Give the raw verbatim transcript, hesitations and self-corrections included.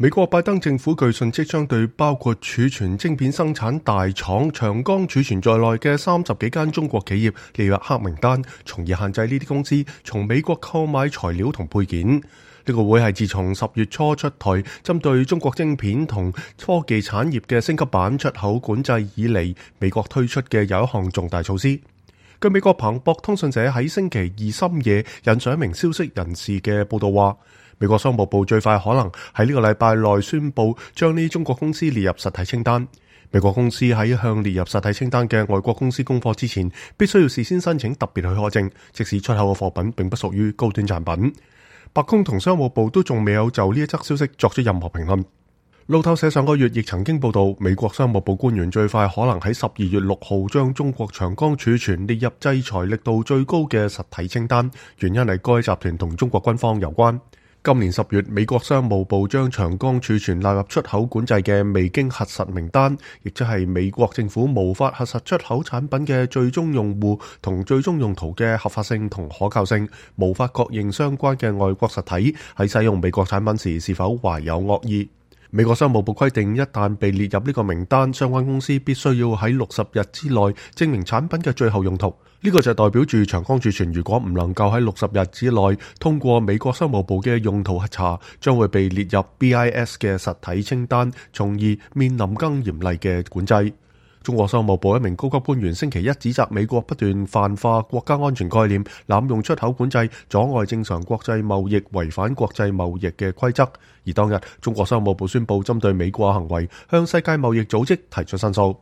美國拜登政府據信即將對包括儲存晶片生產大廠長江儲存在內嘅三十幾間中國企業列入黑名單，從而限制呢啲公司從美國購買材料同配件。呢個會係自從十月初出台針對中國晶片同科技產業嘅升級版出口管制以嚟，美國推出嘅又一項重大措施。據美國彭博通訊社喺星期二深夜引述一名消息人士嘅報道話，美國商務部最快可能喺呢個禮拜內宣布將呢中國公司列入實體清單。美國公司喺向列入實體清單嘅外國公司供貨之前，必須要事先申請特別許可證，即使出口嘅貨品並不屬於高端產品。白宮同商務部都仲未有就呢一則消息作出任何評論。路透社上個月亦曾經報道，美國商務部官員最快可能喺十二月六號將中國長江儲存列入制裁力度最高嘅實體清單，原因係該集團同中國軍方有關。今年十月，美國商務部將長江儲存納入出口管制嘅未經核實名單，亦即係美國政府無法核實出口產品嘅最終用戶同最終用途嘅合法性同可靠性，無法確認相關嘅外國實體喺使用美國產品時是否懷有惡意。美國商務部規定，一旦被列入呢個名單，相關公司必須要喺六十日之內證明產品嘅最後用途。呢個就代表住長江儲存如果唔能夠喺六十日之內通過美國商務部嘅用途核查，將會被列入 B I S 嘅實體清單，從而面臨更嚴厲嘅管制。中國商務部一名高級官員星期一指責美國不斷泛化國家安全概念，濫用出口管制，阻礙正常國際貿易，違反國際貿易嘅規則。而當日，中國商務部宣布針對美國行為向世界貿易組織提出申訴。